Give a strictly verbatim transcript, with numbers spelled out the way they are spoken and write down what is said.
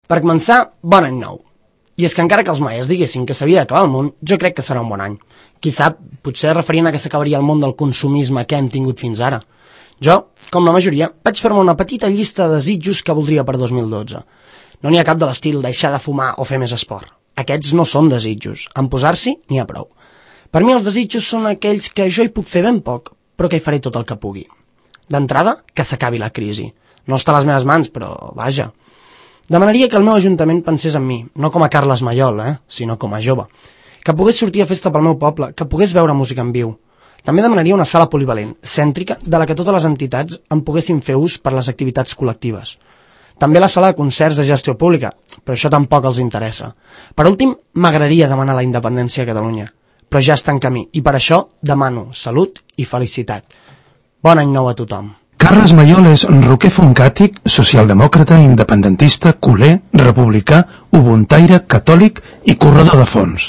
Per començar, bon any nou. I és que encara que els maies diguessin que s'havia d'acabar el món, jo crec que serà un bon any. Qui sap, potser referint a que s'acabaria el món del consumisme que hem tingut fins ara. Jo, com la majoria, vaig fer-me una petita llista de desitjos que voldria per dos mil dotze. No n'hi ha cap de l'estil deixar de fumar o fer més esport. Aquests no són desitjos. En posar-s'hi n'hi ha prou. Per mi els desitjos són aquells que jo hi puc fer ben poc, però que hi faré tot el que pugui. D'entrada, que s'acabi la crisi. No està a les meves mans, però vaja. Demanaria que el meu ajuntament pensés en mi, no com a Carles Maiol, eh? sinó com a jove. Que pogués sortir a festa pel meu poble, que pogués veure música en viu. També demanaria una sala polivalent, cèntrica, de la que totes les entitats en poguessin fer ús per les activitats col·lectives. També la sala de concerts de gestió pública, però això tampoc els interessa. Per últim, m'agradaria demanar la independència a Catalunya, però ja està en camí, i per això demano salut i felicitat. Bon any nou a tothom. Carles Maiol és roquer foncàtic, socialdemòcrata, independentista, culer, republicà, ubuntaire, catòlic i corredor de fons.